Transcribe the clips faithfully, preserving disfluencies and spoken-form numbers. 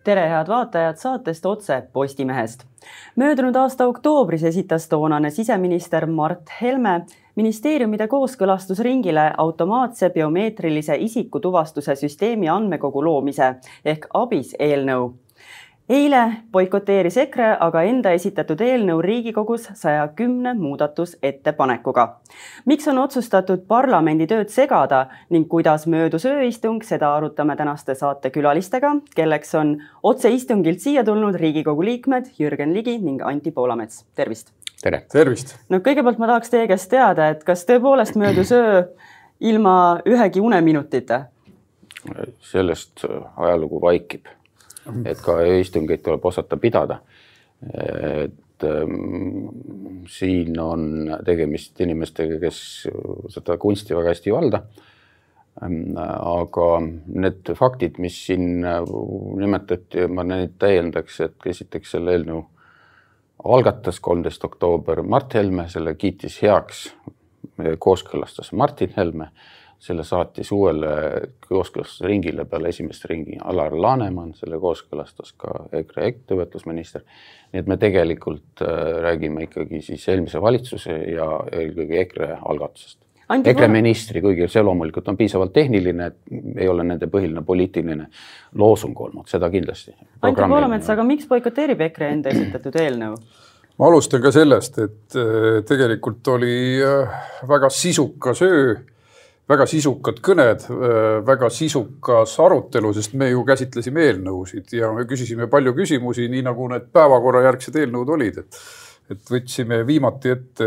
Tere head vaatajad saatest otse Postimehest. Möödunud aasta oktoobris esitas toonane siseminister Mart Helme ministeeriumide kooskõlastusringile automaatse biomeetrilise isikutuvastuse süsteemi andmekogu loomise ehk ABIS eelnõu. Eile boikoteeris EKRE aga enda esitatud eelnõu Riigikogus saja kümne muudatusettepanekuga. Miks on otsustatud parlamendi tööd segada ning kuidas möödus ööistung, seda arutame tänaste saate külalistega, kelleks on otseistungilt siia tulnud Riigikogu liikmed Jürgen Ligi ning Anti Poolamets. Tervist! Tere! Tervist! No kõigepealt ma tahaks teie käest teada, et kas tõepoolest möödus öö ilma ühegi uneminutita? Sellest ajalugu vaikib. Et ka ööistungeid tuleb osata pidada. Et ähm, siin on tegemist inimestega, kes seda kunsti väga hästi valda. Ähm, aga need faktid, mis siin nimetati, ma neid täiendaks, et esiteks selle eelnõu algatas kolmteist oktoober Mart Helme, selle kiitis heaks, kooskõlastas Martin Helme. Selle saatis uuele kooskõlastusringile peale esimest ringi Alar Laneman, selle kooskõlastas ka EKRE ettevõtlusminister. Nii et me tegelikult räägime ikkagi siis eelmise valitsuse ja eelkõige EKRE algatusest. Anti EKRE ministri, kuigi see loomulikult on piisavalt tehniline, et ei ole nende põhiline poliitiline loosung olnud, seda kindlasti. Anti Poolamets, aga miks boikoteerib EKRE enda esitatud eelnõu? Ma alustan ka sellest, et tegelikult oli väga sisukas öö, väga sisukad kõned, väga sisukas arutelu, sest me ju käsitlesime eelnõusid ja me küsisime palju küsimusi, nii nagu need päevakorrajärgsed eelnõud olid. Et, et võtsime viimati ette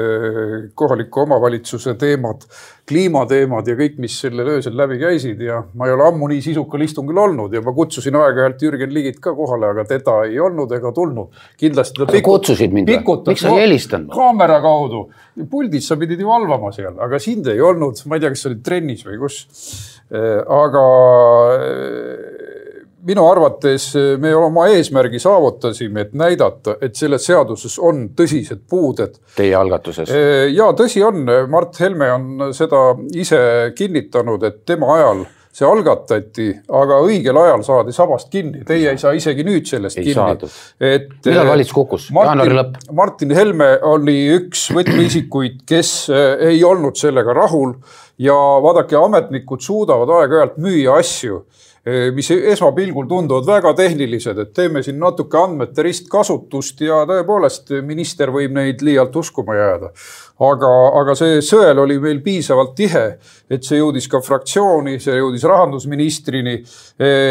kohaliku omavalitsuse teemad, kliimateemad ja kõik, mis selle öösel läbi käisid. Ja ma ei ole ammu nii sisukal istungil olnud ja ma kutsusin aeg-ajalt Jürgen Ligit ka kohale, aga teda ei olnud ega tulnud. Kindlasti ta pikut, kutsusid mind või? Miks sa ei helistanud? Kaamera kaudu. Puldis sa pidid ju valvama seal, aga sind ei olnud. Ma ei tea, kas sa olid trennis või kus. Aga minu arvates me oma eesmärgi saavutasime, et näidata, et selles seaduses on tõsised puuded. Teie algatuses? Ja tõsi on, Mart Helme on seda ise kinnitanud, et tema ajal see algatati, aga õigel ajal saadi sabast kinni. Teie ei saa isegi nüüd sellest ei kinni. Et, Millal valitsus kukkus? Martin, Martin Helme oli üks võtmeisikuid, kes ei olnud sellega rahul ja vaadake, ametnikud suudavad aeg-ajalt müüa asju, mis esmapilgul tunduvad väga tehnilised, et teeme siin natuke andmete ristkasutust ja tõepoolest minister võib neid liialt uskuma jääda. Aga, aga see sõel oli meil piisavalt tihe, et see jõudis ka fraktsiooni, see jõudis rahandusministrini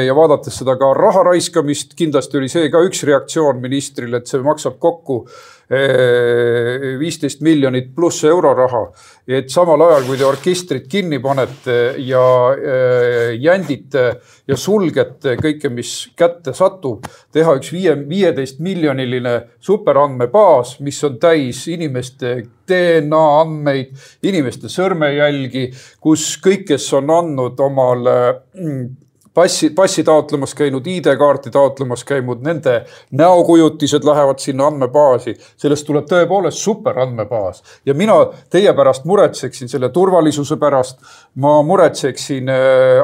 ja vaadates seda ka raha raiskamist, kindlasti oli see ka üks reaktsioon ministril, et see maksab kokku viisteist miljonit pluss euroraha, et samal ajal, kui te orkestrit kinni panete ja jändite ja sulgete kõike, mis kätte satub, teha üks viieteist miljoniline superandmebaas, mis on täis inimeste D N A andmeid, inimeste sõrmejälgi, kus kõik, kes on andnud omal passi, passi taotlemas käinud, I D-kaarti taotlemas käinud, nende näokujutised lähevad sinna andmebaasi. Sellest tuleb tõepoolest super andmebaas. Ja mina teie pärast muretseksin selle turvalisuse pärast. Ma muretseksin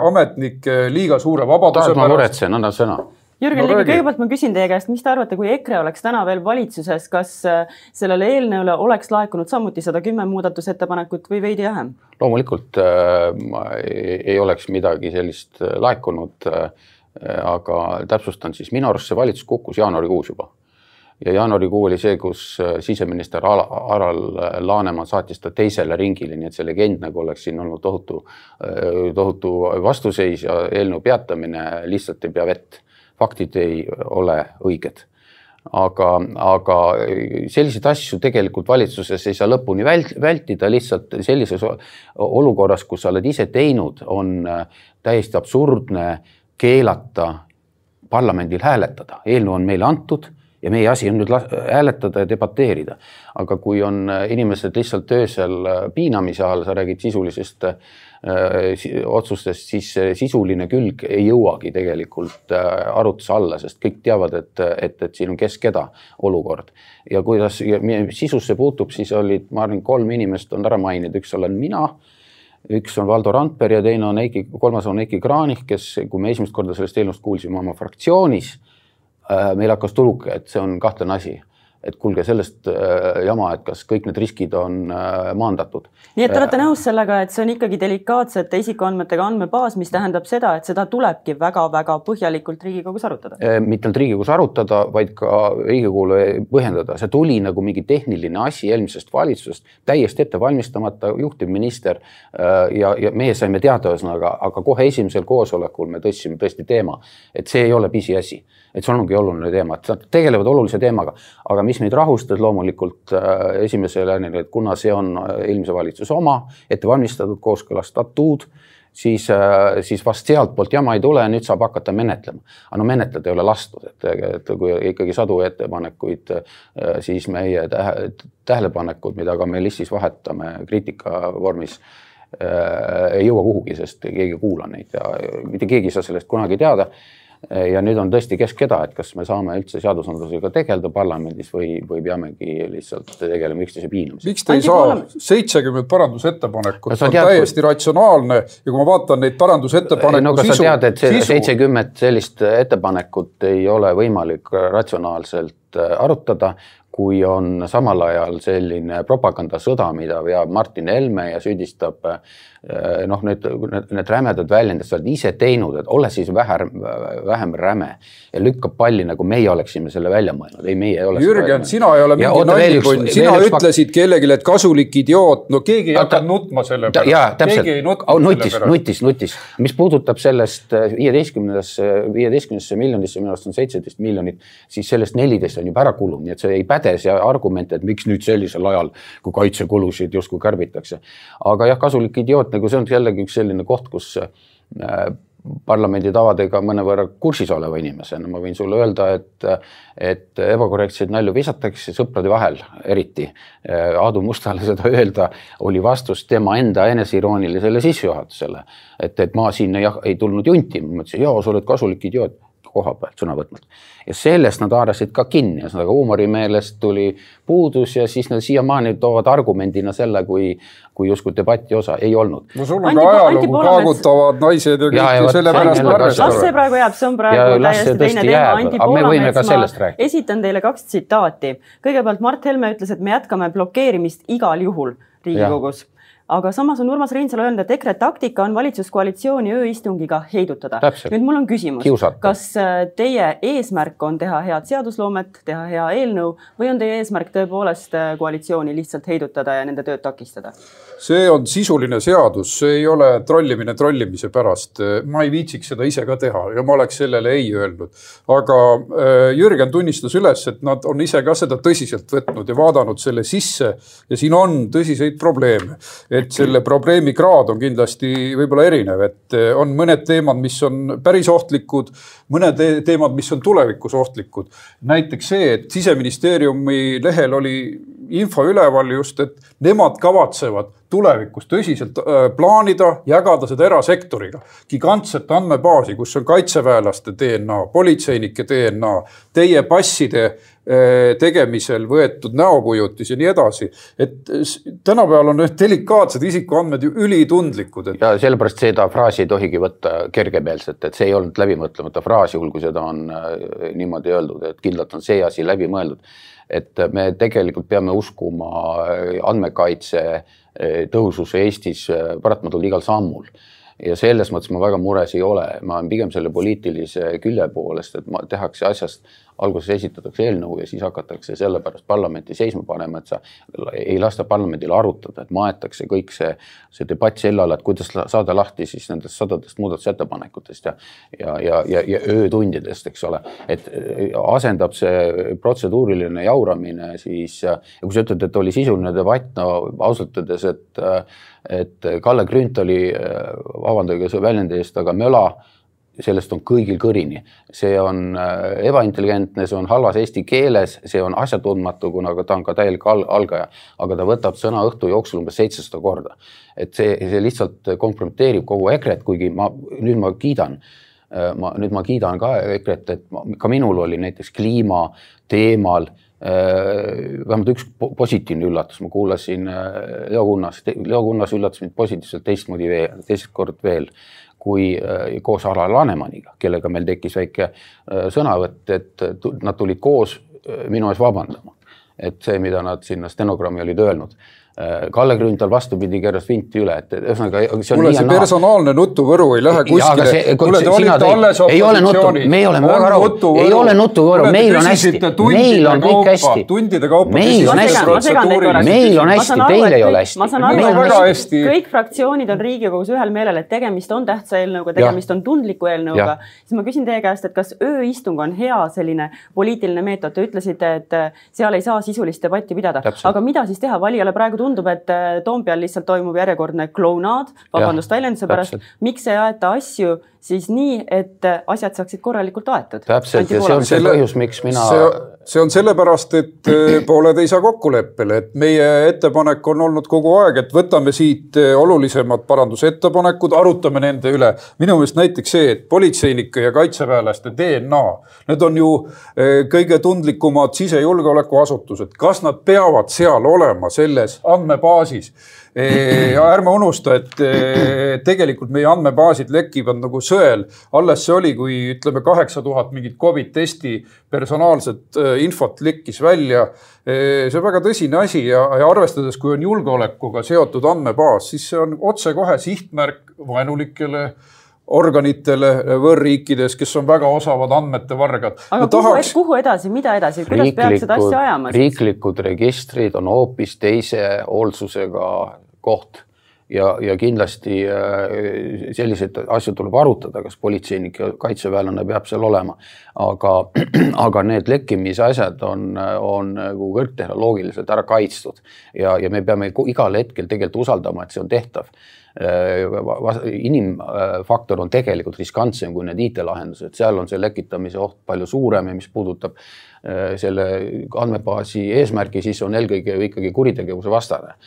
ametnike liiga suure vabaduse Tahad, pärast. Ma muretsen, anna sõna. Jürgen Ligi, kõigepealt ma küsin teie käest, mis te arvate, kui EKRE oleks täna veel valitsuses, kas sellele eelnõule oleks laekunud samuti sada kümme muudatusettepanekut või veidi vähem? Loomulikult äh, ei oleks midagi sellist laekunud, äh, aga täpsustan siis, minu arust see valitsus kukkus jaanuarikuus juba. Ja jaanuarikuu oli see, kus siseminister Alar Laneman saatis ta teisele ringile, nii et see legend nagu oleks siin olnud tohutu, tohutu vastuseis ja eelnõu peatamine lihtsalt ei pea vett. Faktid ei ole õiged. Aga, aga selliseid asju tegelikult valitsuses ei saa lõpuni vältida, lihtsalt sellises olukorras, kus sa oled ise teinud, on täiesti absurdne keelata parlamendil hääletada. Eelnõu on meile antud ja meie asi on nüüd hääletada ja debateerida. Aga kui on inimesed lihtsalt öösel piinamise all, sa räägid sisulisest otsustest, siis sisuline külg ei jõuagi tegelikult arutuse alla, sest kõik teavad, et, et, et siin on kes keda olukord. Ja kuidas sisusse puutub, siis olid, ma arvan, kolm inimest on ära maininud, üks olen mina, üks on Valdo Randper ja teine on Eiki, kolmas on Eiki Kranich, kes, kui me esimest korda sellest eelnõust kuulsime oma fraktsioonis, meil hakkas tuluke, et see on kahtlane asi. Et kuulge sellest jama, et kas kõik need riskid on maandatud. Nii et te olete nõus sellega, et see on ikkagi delikaatsete isikuandmetega andmebaas, mis tähendab seda, et seda tulebki väga-väga põhjalikult Riigikogus arutada? Mitte ainult Riigikogus arutada, vaid ka Riigikogule põhjendada. See tuli nagu mingi tehniline asi eelmisest valitsusest, täiesti ette valmistamata juhtivminister ja, ja meie saime teada ühesõnaga, aga kohe esimesel koosolekul me tõstsime tõesti teema, et see ei ole pisiasi. Et see ongi oluline teema, et nad tegelevad olulise teemaga, aga mis meid rahustas loomulikult esimesele, et kuna see on eelmise valitsuse oma, ette valmistatud kooskõlastatud, siis, siis vast sealt poolt jama ei tule ja nüüd saab hakata menetlema. Aga no menetleda ei ole lastud, et, et kui ikkagi sadu ettepanekuid, siis meie tähelepanekud, mida ka me listis vahetame kriitika vormis, ei jõua kuhugi, sest keegi kuula neid ja mitte keegi ei saa sellest kunagi teada. Ja nüüd on tõesti keskeda, et kas me saame üldse seadusandlusega tegeleda parlamendis või, või peamegi lihtsalt tegelema üksteise piinamisega. Miks te ei saa seitsekümmend parandusettepanekut? See on täiesti ratsionaalne ja kui ma vaatan neid parandusettepaneku no, sisu... No sa tead, et see seitsekümmend sellist ettepanekut ei ole võimalik ratsionaalselt arutada, kui on samal ajal selline propagandasõda, mida veab Martin Helme ja süüdistab noh, need, need, need rämedad väljendid, sa oled ise teinud, et ole siis vähem, vähem räme ja lükkab palli, nagu meie oleksime selle välja mõelnud. Ei, meie ei ole Jürgen, sina ei ole mingi nallikund, sina ütlesid pak... kellelegi, et kasulik idioot, no keegi ei hakka nutma selle pärast. Jaa, täpselt, oh, nutis, nutis, nutis. Mis puudutab sellest viieteistkümnesse miljonisse, minu arust on seitseteist miljonit, siis sellest neliteist on juba ära kulud, nii et see ei päde see argument, et miks nüüd sellisel ajal, kui kaitsekulusid justkui kärbitakse. Aga jah, kasulik idioot, nagu see on jällegi üks selline koht, kus parlamendi tavadega mõnevõrra kursis oleva inimesena. Ma võin sulle öelda, et, et ebakorrektseid nalju visatakse sõprade vahel eriti. Aadu Mustale seda öelda oli vastus tema enda eneseiroonilisele sissejuhatusele. Et, et ma siin ei, ei tulnud junti. Ma mõtlesin, jaa, sa oled kasulik idioot koha pealt sõna võtmalt. Ja sellest nad haarasid ka kinni. Ja huumorimeelest tuli puudus ja siis nad siiamaani toovad argumendina selle, kui, kui justkui debatti osa ei olnud. No sul on ka ajalugu kaagutavad naised ja kõik ja, ja selle pärast arvestada. Las see praegu jääb, see on praegu täiesti teine teema. Anti Poolamets, ma esitan teile kaks tsitaati. Kõigepealt Mart Helme ütles, et me jätkame blokeerimist igal juhul Riigikogus. Ja. Aga samas on Urmas Reinsalu öelnud, et EKRE taktika on valitsuskoalitsiooni ööistungiga heidutada. Täpselt. Nüüd mul on küsimus, Kiusata. Kas teie eesmärk on teha head seadusloomet, teha hea eelnõu või on teie eesmärk tõepoolest koalitsiooni lihtsalt heidutada ja nende tööd takistada? See on sisuline seadus, see ei ole trollimine trollimise pärast. Ma ei viitsiks seda ise ka teha ja ma oleks sellele ei öelnud. Aga Jürgen tunnistas üles, et nad on ise ka seda tõsiselt võtnud ja vaadanud selle sisse ja siin on tõsiseid probleeme. Et selle probleemi kraad on kindlasti võib-olla erinev, et on mõned teemad, mis on päris ohtlikud, mõned teemad, mis on tulevikus ohtlikud. Näiteks see, et Siseministeeriumi lehel oli info üleval just, et nemad kavatsevad tulevikus tõsiselt plaanida, jagada seda erasektoriga. Gigantset andmebaasi, kus on kaitseväelaste D N A, politseinike D N A, teie passide tegemisel võetud näokujutis ja nii edasi. Et tänapäeval on delikaatsed isikuandmed ju ülitundlikud. Et... Ja sellepärast seda fraasi ei tohigi võtta kergemeelselt, et see ei olnud läbimõtlemata fraasi, kui seda on niimoodi öeldud, et kindlalt on see asi läbi mõeldud. Et me tegelikult peame uskuma andmekaitse tõususe Eestis paratmatult igal sammul. Ja selles mõttes ma väga mures ei ole. Ma olen pigem selle poliitilise külje poolest, et ma tehakse asjast, alguses esitatakse eelnõu ja siis hakatakse selle pärast parlamenti seisma panema, et sa ei lasta parlamendil arutada, et maetakse kõik see, see debatt sellele, et kuidas saada lahti siis nendest sadadest muudatusettepanekutest ja, ja, ja, ja, ja öötundidest, eks ole. Et asendab see protseduuriline jauramine siis, ja kui sa ütled, et oli sisuline debatt, no ausalt öeldes, et, et Kalle Grünthali, vabandage see väljendi eest, aga möla, sellest on kõigil kõrini. See on ebaintelligentne, see on halvas eesti keeles, see on asjatundmatu, kuna ta on ka täielik algaja, aga ta võtab sõna õhtu jooksul umbes seitsesada korda. Et see, see lihtsalt kompromiteerib kogu EKRE-t, kuigi ma, nüüd ma kiidan, ma, nüüd ma kiidan ka EKRE-t, et ma, ka minul oli näiteks kliima teemal vähemalt üks positiivne üllatus, ma kuulasin Leo Kunnas, Leo Kunnas üllatas mind positiivselt teistmoodi veel, teist kord veel, kui koos Alar Lanemaniga, kellega meil tekkis väike sõnavõtt, et nad tulid koos minu ees vabandama. Et see, mida nad sinna stenogrammi olid öelnud. Kalle Grünthal vastupidi keeras vinti üle, et ühesõnaga see on mulle see personaalne nutuvõru ei lähe kuskile. See, mulle te olite alles ei ole nutu, me ei ole väga raud, ei ole nutuvõru, meil on hästi, meil on kõik hästi, tundide kaupa, meil on hästi, meil on hästi, teil ei ole hästi. Ma saan aru, et kõik fraktsioonid on Riigikogus ühel meelel, et tegemist on tähtsa eelnõuga, tegemist on tundliku eelnõuga. Siis ma küsin teie käest, et kas ööistung on hea selline poliitiline meetod? Te ütlesite, et seal ei saa sisulist debatti pidada, aga mida siis teha? Valijale praegu tundub, et Toompeal lihtsalt toimub järjekordne klounaad, vabandust väljenduse pärast. Miks ei aeta asju siis nii, et asjad saaksid korralikult aetud? Täpselt, ja see on see põhjus, miks mina... See, see on sellepärast, et pooled ei saa kokkuleppele, et meie ettepanek on olnud kogu aeg, et võtame siit olulisemad parandusettepanekud, arutame nende üle. Minu meelest näiteks see, et politseinike ja kaitseväelaste D N A, need on ju kõige tundlikumad sisejulgeolekuasutused. Kas nad peavad seal olema selles andmebaasis? Ja ärme unusta, et tegelikult meie andmebaasid lekivad nagu sõel. Alles see oli, kui ütleme kaheksa tuhat mingit COVID testi personaalset infot lekkis välja. See on väga tõsine asi ja, ja arvestades, kui on julgeolekuga seotud andmebaas, siis see on otse kohe sihtmärk vaenulikele organitele võõrriikides, kes on väga osavad andmete vargad. Aga kuhu, tahaks... kuhu edasi, mida edasi, kuidas riiklikud, peaks seda asja ajama? Riiklikud registrid on hoopis teise hoolsusega koht ja, ja kindlasti sellised asjad tuleb arutada, kas politseinik ja kaitseväelane peab seal olema. Aga, aga need lekkimise asjad on, on kõrgtehnoloogiliselt ära kaitstud ja, ja me peame igal hetkel tegelikult usaldama, et see on tehtav. Inimfaktor on tegelikult riskantsem kui need I T-lahendused, seal on see lekitamise oht palju suurem ja mis puudutab selle andmebaasi eesmärgi, siis on eelkõige ikkagi kuritegevuse vastane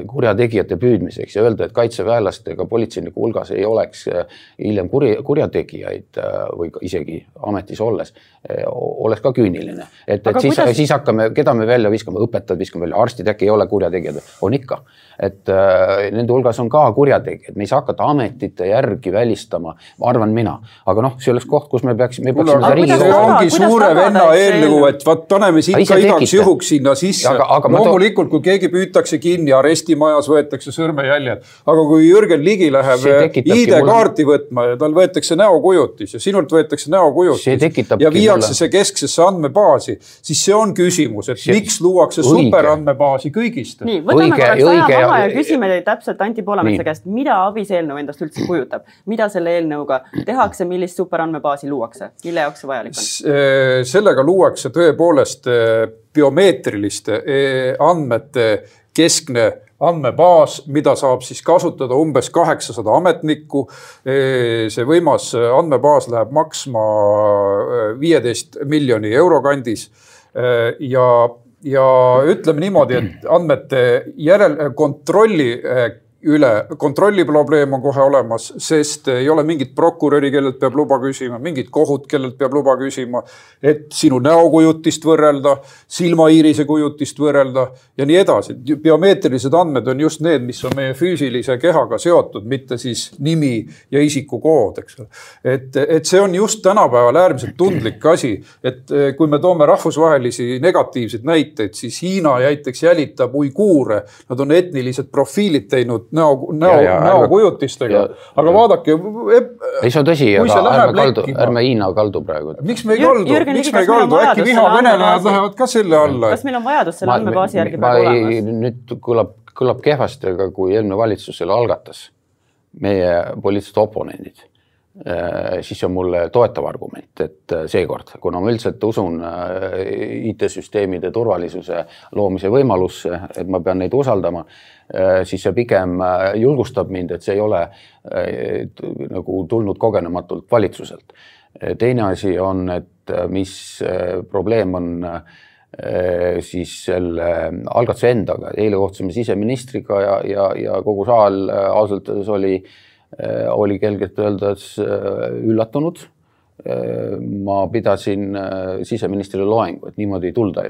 kurjategijate püüdmiseks ja öelda, et kaitseväelastega politseiniku hulgas ei oleks hiljem kuri, kurjategijaid või isegi ametis olles, oleks ka küüniline. Et, et siis, kuidas... siis hakkame, keda me välja viskame, õpetajad viskame välja, arstid äkki ei ole kurjategijad, on ikka. Et äh, nende hulgas on ka kurjategijad, me ei saa hakata ametite järgi välistama, ma arvan mina. Aga noh, see oleks koht, kus me peaksime... Me peaksime Kuule, see ongi suure venna eelnõu, et vaat paneme siit ka igaks juhuks sinna sisse. Aga, aga loomulikult, kui keegi püütakse kinni, arestimajas võetakse sõrmejäljed. Aga kui Jürgen Ligi läheb I D-kaarti mul... võtma ja tal võetakse näokujutis ja sinult võetakse näokujutis ja viiakse mulle... see kesksesse andmebaasi, siis see on küsimus, et see... miks luuakse superandmebaasi kõigist. Nii, võtame korraks aja maha ja küsime teid täpselt Anti Poolametsa käest, mida abis eelnõu endast üldse kujutab? Mida selle eelnõuga tehakse, millist superandmebaasi luuakse? Mille jaoks see vajalik on? Sellega luuakse tõepoolest biomeetriliste andmete keskne andmebaas, mida saab siis kasutada umbes kaheksasada ametnikku. See võimas andmebaas läheb maksma viieteist miljoni euro kandis ja, ja ütleme niimoodi, et andmete järel kontrolli üle, kontrolli probleem on kohe olemas, sest ei ole mingit prokuröri, kellelt peab luba küsima, mingit kohut, kellelt peab luba küsima, et sinu näokujutist võrrelda, silmaiirise kujutist võrrelda ja nii edasi. Biomeetrilised andmed on just need, mis on meie füüsilise kehaga seotud, mitte siis nimi ja isikukood, eks. Et, et see on just tänapäeval äärmiselt tundlik asi, et kui me toome rahvusvahelisi negatiivseid näiteid, siis Hiina näiteks jälitab uiguure, nad on etnilised profiilid teinud näo, näo, näokujutistega. Aga vaadake... Ei, see on tõsi, aga ärme, kaldu, ärme Hiina kaldu praegu. Miks me ei kaldu? Jürgen, miks me ei kaldu? Äkki vihakõnelejad lähevad ka selle alla? Kas meil on vajadus selle andmebaasi järgi praegu olemas? Nüüd kõlab, kõlab kehvasti, aga kui eelmine valitsus selle algatas, meie poliitilised oponendid, siis on mulle toetav argument, et seekord, kuna ma üldiselt usun I T-süsteemide turvalisuse loomise võimalusse, et ma pean neid usaldama, siis see pigem julgustab mind, et see ei ole nagu tulnud kogenematult valitsuselt. Teine asi on, et mis probleem on siis selle algatuse endaga. Eile kohtusime siseministriga ja, ja, ja kogu saal ausalt oli oli kelgelt öeldes üllatunud ma pidasin siseministrile loengu, et niimoodi ei tulda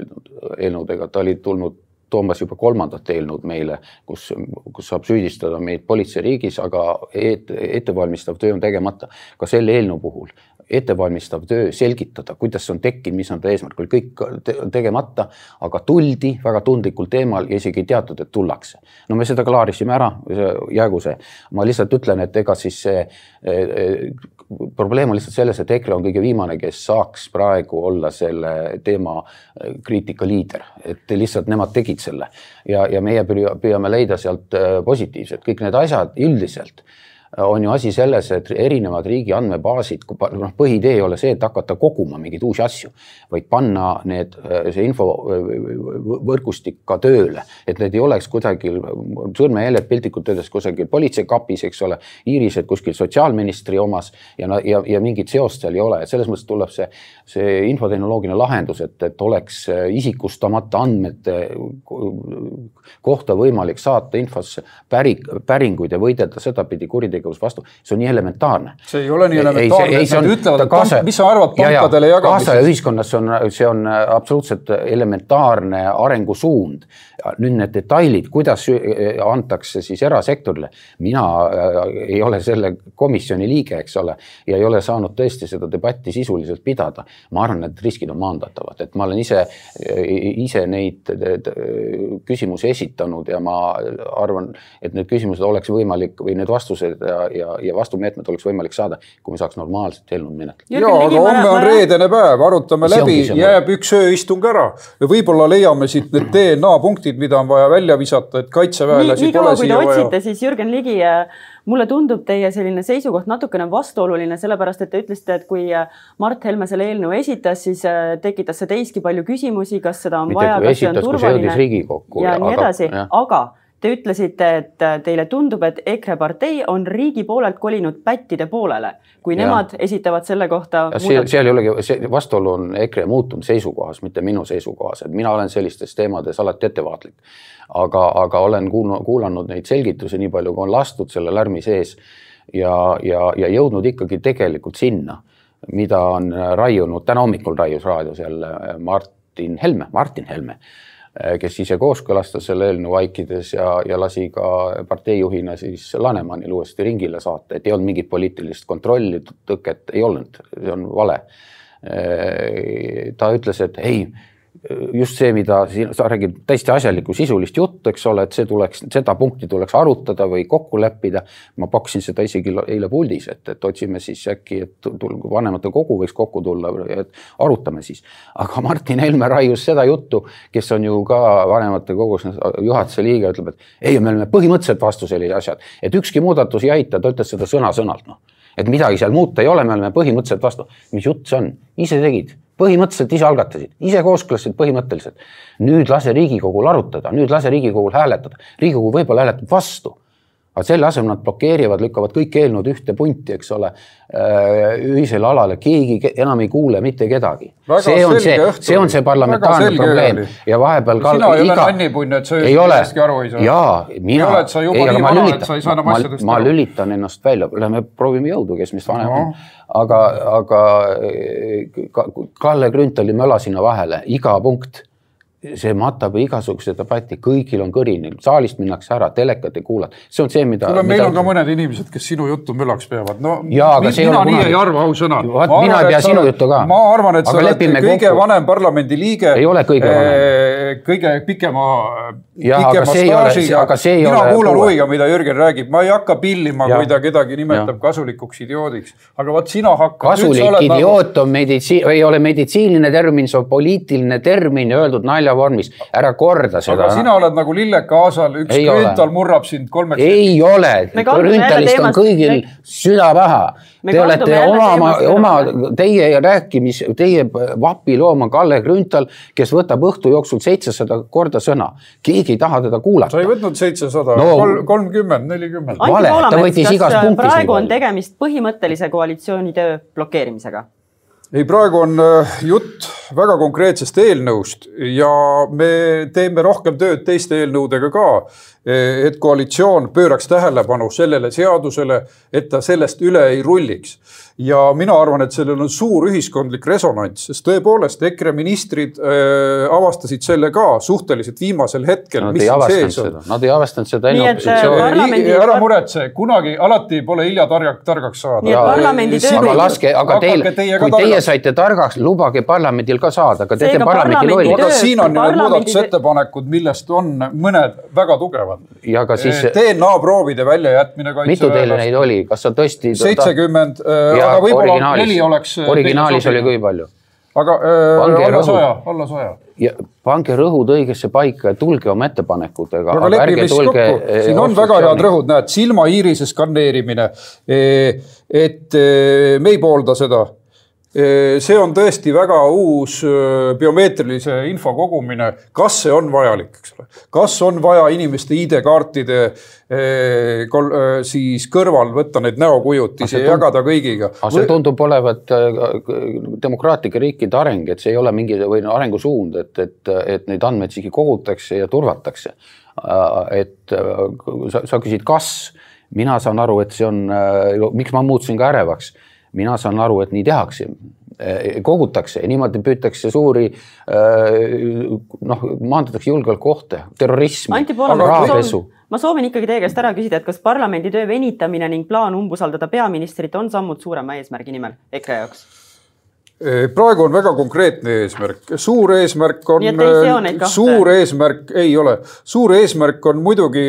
eelnõudega, ta oli tulnud toomas juba kolmandat eelnõud meile, kus, kus saab süüdistada meid politseiriigis, aga et, ettevalmistav töö on tegemata. Ka selle eelnõu puhul ettevalmistav töö selgitada, kuidas see on tekkinud, mis on ta eesmärk, oli kõik tegemata, aga tuldi väga tundlikul teemal ja isegi ei teatud, et tullakse. No me seda klaarisime ära, jäägu see. Ma lihtsalt ütlen, et ega siis see probleem on lihtsalt selles, et EKRE on kõige viimane, kes saaks praegu olla selle teema kriitika liider. Et lihtsalt nemad tegid selle ja, ja meie püüame leida sealt positiivset. Kõik need asjad üldiselt on ju asi selles, et erinevad riigi andmebaasid, põhidee ei ole see, et hakata koguma mingeid uusi asju, vaid panna need, see info võrgustik ka tööle, et need ei oleks kusagil sõrmejäljed piltlikult öeldes kusagil politseikapis, eks ole, iirised kuskil sotsiaalministri omas ja, ja, ja mingit seost seal ei ole. Et selles mõttes tuleb see, see infotehnoloogiline lahendus, et, et oleks isikustamata andmete kohta võimalik saata infosse päring, päringuid ja võidelda sedapidi kuride vastu. See on nii elementaarne. See ei ole nii elementaarne, et nad ütlevad, et kaasa, mis sa arvad pankadele ja, ja, jagamisest? Kaasa ja ühiskonnas on, see on absoluutselt elementaarne arengusuund. Nüüd need detailid, kuidas antakse siis erasektorile. Mina ei ole selle komisjoni liige, eks ole, ja ei ole saanud tõesti seda debatti sisuliselt pidada. Ma arvan, et riskid on maandatavad. Et ma olen ise, ise neid küsimusi esitanud ja ma arvan, et need küsimused oleks võimalik või need vastused ja, ja, ja vastumeetmed oleks võimalik saada, kui me saaks normaalselt eelnõud menetleda. Jaa, aga homme on reedene päev, arutame läbi, jääb üks ööistung ära ja võib-olla leiame siit need D N A punktid, mida on vaja välja visata, et kaitseväelasi nii, pole siia vaja. Nii kaua, kui te otsite, siis Jürgen Ligi, mulle tundub teie selline seisukoht natukene vastuoluline, sellepärast, et te ütlesite, et kui Mart Helme selle eelnõu esitas, siis tekitas see teiski palju küsimusi, kas seda on Mitte vaja, kas see on turvaline ja, ja nii edasi, aga, aga te ütlesite, et teile tundub, et EKRE partei on riigi poolelt kolinud pättide poolele, kui ja. Nemad esitavad selle kohta... Seal, seal ei olegi, see vastuolu on EKRE muutunud seisukohas, mitte minu seisukohas. Et mina olen sellistes teemades alati ettevaatlik, aga, aga olen kuulanud neid selgitusi nii palju, kui on lastud selle lärmi sees ja, ja, ja jõudnud ikkagi tegelikult sinna, mida on raiunud, täna hommikul raius raadios jälle Martin Helme, Martin Helme, kes ise kooskõlastas selle eelnõu vaikides ja, ja lasi ka parteijuhina siis Lanemanil uuesti ringile saata, et ei olnud mingit poliitilist kontrolli, tõket ei olnud, see on vale. Ta ütles, et ei, just see, mida sa räägid täiesti asjalikku sisulist juttu, eks ole, et see tuleks, seda punkti tuleks arutada või kokku leppida. Ma paksin seda isegi eile puldis, et, et otsime siis äkki, et vanemate kogu võiks kokku tulla, et arutame siis. Aga Martin Helme raius seda juttu, kes on ju ka vanemate kogus juhatuse liige, ütleb, et ei, me oleme põhimõtteliselt vastu sellised asjad, et ükski muudatus ei aita, ta ütles seda sõna sõnalt, no. Et midagi seal muuta ei ole, me oleme põhimõtteliselt vastu. Mis jutt see on? Ise tegid. Põhimõtteliselt ise algatasid, ise kooskõlasid põhimõtteliselt. Nüüd lase Riigikogul arutada, nüüd lase Riigikogul hääletada. Riigikogu võib-olla hääletab vastu. Aga selle asemel nad blokeerivad, lükkavad kõik eelnõud ühte punti, eks ole, ühisele alale. Keegi enam ei kuule mitte kedagi. See on see, see on see parlamentaarne probleem. Oli. Ja vahepeal sina ei iga... ole nannipunne, et sa ei ole aru ei saa. Jaa, mina... ei ole, et sa juba ei, nii vana, lülitan, et sa ei saa enam asjadest ma, ma lülitan ennast välja. Lähme proovime jõudu, kes mis vanem on. Aga, aga Kalle Grünthali möla sinna vahele, iga punkt. See matab igasuguse debatti, kõigil on kõrini, saalist minnakse ära, telekat ei kuulata. See on see, mida... Tule, meil mida... on ka mõned inimesed, kes sinu juttu mölaks peavad. No, ja, mi, mina nii ei arva, au sõna. Ma arvan, mina ei pea sinu juttu ka. Ma arvan, et aga sa oled kõige kokku. Vanem parlamendi liige. Ei ole kõige vanem. Kõige pikema, ja, pikema aga staažiga. Aga see ei mina ole kuulan huviga, mida Jürgen räägib. Ma ei hakka pillima, ja. Kui ta kedagi nimetab ja. Kasulikuks idioodiks. Aga vaat sina hakkad... Kasulik idioot on meditsi... ei ole meditsiiniline termin, see on poliitiline termin öeldud naljavormis. Ära korda seda. Aga sina oled nagu Lilleka Aasal, üks ei Grünthal ole. Murrab sind kolmeks. Ei ole, Grünthalist on kõigil süda paha. Te olete oma, oma, teie rääkimis, teie vapiloom on Kalle Grünthal, kes võtab õhtu jooksul seitsesada korda sõna. Keegi ei taha teda kuulata. Sa ei võtnud seitsesada, no, kolmkümmend, nelikümmend. Vale, ta võttis igas punktis. Praegu on tegemist põhimõttelise koalitsiooni töö blokeerimisega? Ei, praegu on jutt väga konkreetsest eelnõust ja me teeme rohkem tööd teiste eelnõudega ka, et koalitsioon pööraks tähelepanu sellele seadusele, et ta sellest üle ei rulliks. Ja mina arvan, et sellel on suur ühiskondlik resonants, sest tõepoolest EKRE ministrid äh, avastasid selle ka suhteliselt viimasel hetkel, nad mis ei siin sees on. Nad ei avastanud seda enne opositsiooni. Parlamendi... Ära muretse, kunagi alati pole hilja targak, targaks saada. Nii et parlamendi töö... Aga laske, aga teil, teie kui teie saite targaks, lubage parlamendil ka saada, aga teete parlamendi lolli. Aga siin on ju muudatusettepanekud, millest on mõned väga tugevad. Ja ka siis... D N A-proovide väljajätmine kaitse... Mitu teile neid oli? Kas sa tõesti... seitsekümmend... Aga võib-olla neli oleks... Originaalis oli kui palju? Aga äh, alla saja, alla saja. Ja pange rõhud õigesse paika ja tulge oma ettepanekutega. Aga lepime siis kokku. Siin on väga head rõhud, näed, silma iirise skanneerimine. Et me ei poolda seda. See on tõesti väga uus biomeetrilise info kogumine. Kas see on vajalik? Eks ole? Kas on vaja inimeste I D-kaartide siis kõrval võtta neid näokujutisi ja jagada kõigiga? See tundub olevat demokraatlike riikide areng, et see ei ole mingi või arengusuund, et, et, et neid andmeid siiski kogutakse ja turvatakse. Et sa, sa küsid, kas mina saan aru, et see on, miks ma muutusin ka ärevaks? Mina saan aru, et nii tehakse, kogutakse ja niimoodi püütakse suuri, noh, maandatakse julgeolekuohte, terrorismi, rahapesu. Ma soovin ikkagi teie käest ära küsida, et kas parlamendi töö venitamine ning plaan umbusaldada peaministrit on sammud suurema eesmärgi nimel EKRE jaoks? Praegu on väga konkreetne eesmärk. Suur eesmärk on, suur eesmärk ei ole. Suur eesmärk on muidugi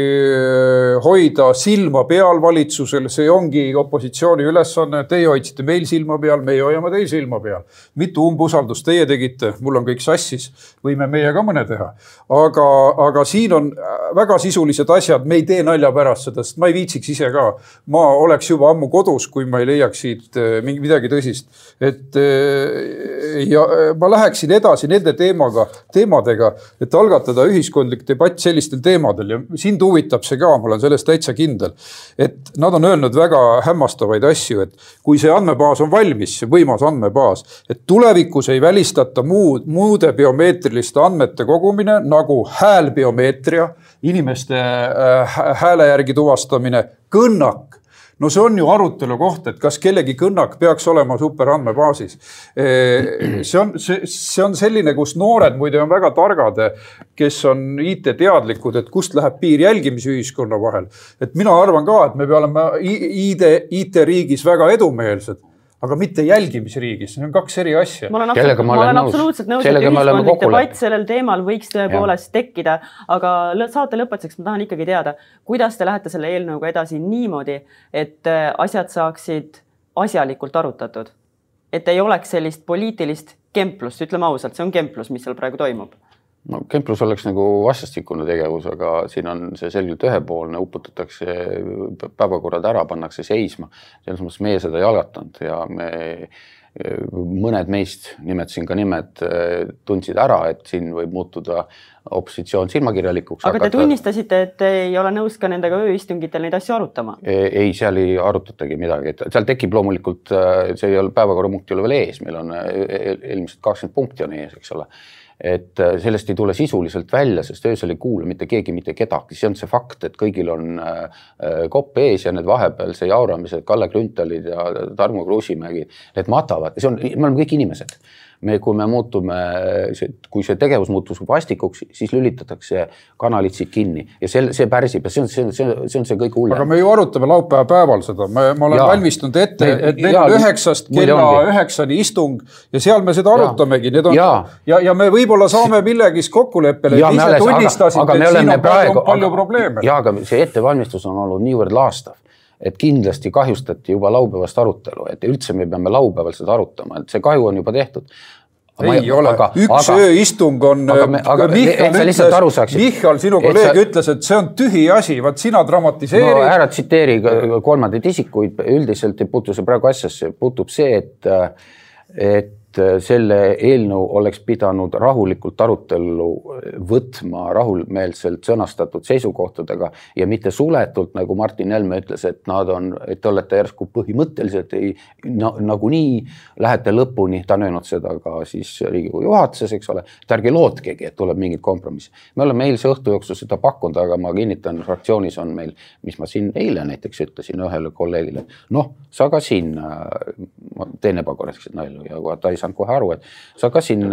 hoida silma peal valitsusel. See ongi opositsiooni ülesanne. Teie hoidsite meil silma peal, meie hoiame teil silma peal. Mitu umbusaldust teie tegite? Mul on kõik sassis. Võime meie ka mõne teha. Aga, aga siin on väga sisulised asjad. Me ei tee nalja pärast seda, sest ma ei viitsiks ise ka. Ma oleks juba ammu kodus, kui ma ei leiaks siit midagi tõsist. Et ja ma läheksin edasi nende teemaga, teemadega, et algatada ühiskondlik debatt sellistel teemadel ja sind huvitab see ka, ma olen sellest täitsa kindel, et nad on öelnud väga hämmastavaid asju, et kui see andmebaas on valmis, see võimas andmebaas, et tulevikus ei välistata muud, muude biomeetriliste andmete kogumine nagu häälbiomeetria, inimeste hääle järgi tuvastamine, kõnnak. No see on ju arutelu koht, et kas kellegi kõnnak peaks olema superandmebaasis. See on, see, see on selline, kus noored muide on väga targad, kes on I T-teadlikud, et kust läheb piir jälgimisühiskonna vahel. Et mina arvan ka, et me peame I T-riigis väga edumeelsed, aga mitte jälgimisriigis. See on kaks eri asja. Ma olen, absoluut, ma olen absoluutselt nõus, et ühiskondlik debatt sellel teemal võiks tõepoolest tekkida, aga saate lõpetuseks ma tahan ikkagi teada, kuidas te lähete selle eelnõuga edasi niimoodi, et asjad saaksid asjalikult arutatud. Et ei oleks sellist poliitilist kemplust, ütleme ausalt, see on kemplus, mis seal praegu toimub. No, kemplus oleks nagu vastastikune tegevus, aga siin on see selgelt ühepoolne, uputatakse päevakorrad ära, pannakse seisma. Selles mõttes meie seda ei algatanud ja me, mõned meist, nimetasin ka nimed, tundsid ära, et siin võib muutuda opositsioon silmakirjalikuks. Aga te tunnistasite, et ei ole nõus ka nendega ööistungitel neid asju arutama? Ei, seal ei arutatagi midagi. Seal tekib loomulikult, see ei ole päevakorrapunkti ole veel ees, meil on ilmselt kakskümmend punkti on ees, eks ole. Et sellest ei tule sisuliselt välja, sest öösel ei kuule mitte keegi, mitte kedagi. See on see fakt, et kõigil on kopp ees ja need vahepeal see jauramised, Kalle Grünthalid ja Tarmo Kruusimägi, need matavad. See on, me oleme kõik inimesed. Me, kui me muutume, kui see tegevus muutus vastikuks, siis lülitatakse kanalid siit kinni ja see, see pärsib ja see on see, see, see, on see kõik hullem. Aga me ju arutame laupäeva päeval seda. Ma, ma olen ja. valmistunud ette, et meil on üheksast kella üheksani istung ja seal me seda arutamegi. Need on, ja. Ja, ja me võib-olla saame millegis kokkuleppele, et ise tunnistasite, et siin on praegu, palju aga, probleeme. Ja, aga see ettevalmistus on olnud niivõrd laastav, et kindlasti kahjustati juba laupäevast arutelu, et üldse me peame laupäeval seda arutama, et see kahju on juba tehtud. Ei ma, ole, aga, üks aga, ööistung on, aga me, aga Michal, ütles, Michal, sinu kolleeg sa, ütles, et see on tühi asi, vaat sina dramatiseerid. No ära tsiteeri kolmandaid isikuid, üldiselt ei puutu see praegu asjasse, puutub see, et, et et selle eelnõu oleks pidanud rahulikult arutellu võtma rahumeelselt sõnastatud seisukohtadega ja mitte suletult, nagu Martin Helme ütles, et nad on, et te olete järsku põhimõtteliselt ei, na, nagunii lähete lõpuni, ta on öelnud seda ka siis Riigikogu juhatuses, eks ole, et ärge lootkegi, et tuleb mingid kompromissi. Me oleme eilse õhtu jooksul seda pakkunud, aga ma kinnitan, fraktsioonis on meil, mis ma siin eile näiteks ütlesin ühele kolleegile, noh, sa ka siin, ma teen ebakorrektset nalju ja ta ei saanud kohe aru, et sa ka siin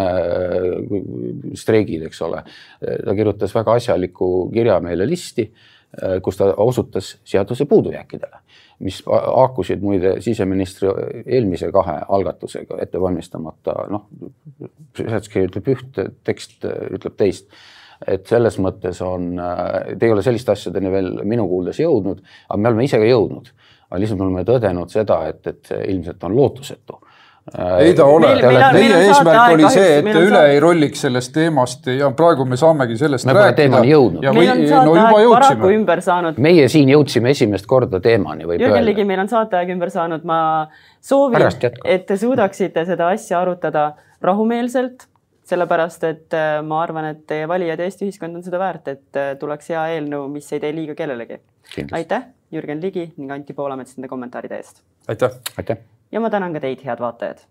streigid, eks ole. Ta kirjutas väga asjaliku kirja meile listi, kus ta osutas seaduse puudujääkidele, mis haakusid muide siseministri eelmise kahe algatusega ette valmistamata. Noh, seletuskiri ütleb üht, tekst ütleb teist. Et selles mõttes on, te ei ole sellist asjadeni veel minu kuuldes jõudnud, aga me oleme ise ka jõudnud. Aga lihtsalt me oleme tõdenud seda, et, et ilmselt on lootusetu. Ei ta ole. Meie eesmärk oli see, et te üle ei rolliks sellest teemast ja praegu me saamegi sellest me rääkida. Ja meil on saateaeg paraku ümber saanud. Meie siin jõudsime esimest korda teemani. Jürgen Ligi, meil on saateaeg ümber saanud. Ma soovin, et te suudaksite seda asja arutada rahumeelselt, sellepärast, et ma arvan, et teie valijad Eesti ühiskond on seda väärt, et tuleks hea eelnõu, mis ei tee liiga kellelegi. Kindlasti. Aitäh, Jürgen Ligi ning Anti Poolamets nende kommentaaride eest. Aitäh. Aitäh. Ja ma tänan ka teid, head vaatajad.